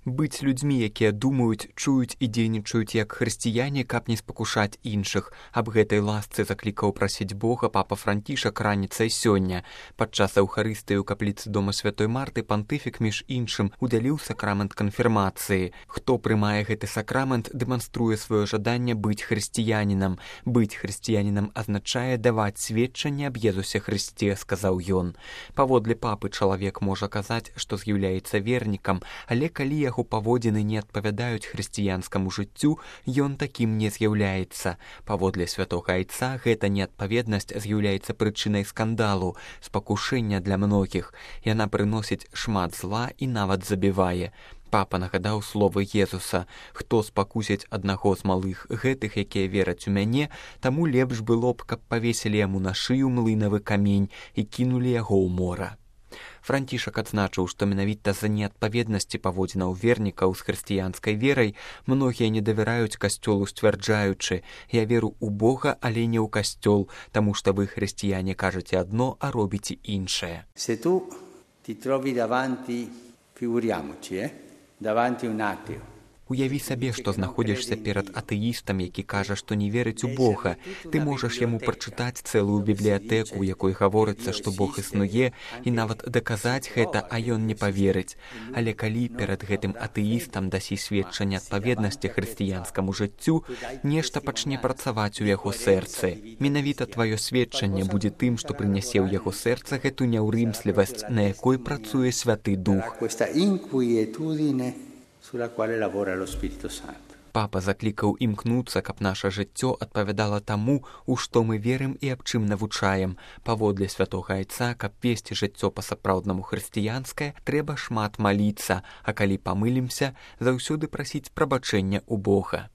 Быць людзьмі, якія думаюць, чуюць і дзейнічаюць як хрысціяне, каб не спакушаць іншых. Аб гэтай ласцы заклікаў прасіць Бога папа Францішак раніцай сёння. Падчас эўхарыстыі ў капліцы дома святой Марты пантыфік, між іншым, удзяліў сакрамент канфірмацыі. Хто прымае гэты сакрамент, дэманструе сваё жаданне быць хрысціянінам. Быць хрысціянінам азначае даваць сведчанне аб Езусе Хрысце, сказаў ён. Паводле папы чалавек можа казаць, што з'яўляецца вернікам, але калі яго паводзіны не адпавядаюць хрысціянскаму жыццю, ён такім не з'яўляецца. Паводле святога айца гэта неадпаведнасць з'яўляецца прычынай скандалу, спакушэння для многіх. Яна прыносіць шмат зла і нават забівае. Папа нагадаў словы Езуса: «Хто спакусіць аднаго з малых гэтых, якія вераць у мяне, таму лепш было б, каб павесілі яму на шыю млынавы камень і кінулі яго ў мора». Францішак адзначыў, што менавіта з-за неадпаведнасці паводзінаў вернікаў з хрысціянскай верай многія не давяраюць касцёлу, сцвярджаючы: «Я веру ў Бога, але не ў касцёл, таму што вы, хрысціяне, кажаце адно, а робіце іншае». Se tu ti trovi davanti, figuriamoci, davanti un ateo. Уяві сабе, што знаходзішся перад атэістам, які кажа, што не верыць у Бога. Ты можаш яму прачытаць цэлую бібліятэку, у якой гаворыцца, што Бог існуе, і нават даказаць гэта, а ён не паверыць. Але калі перад гэтым атэістам дасі сведчанне адпаведнасці хрысціянскаму жыццю, нешта пачне працаваць у яго сэрцы. Менавіта тваё сведчанне будзе тым, што прынясе ў яго сэрца гэту няўрымслівасць, на якой працуе Святы Дух. Папа заклікаў імкнуцца, каб наша жыццё адпавядала таму, у што мы верым і аб чым навучаем. Паводле святога айца, каб весці жыццё па-сапраўднаму хрысціянскае, трэба шмат маліцца, а калі памылімся, заўсёды прасіць прабачэння ў Бога.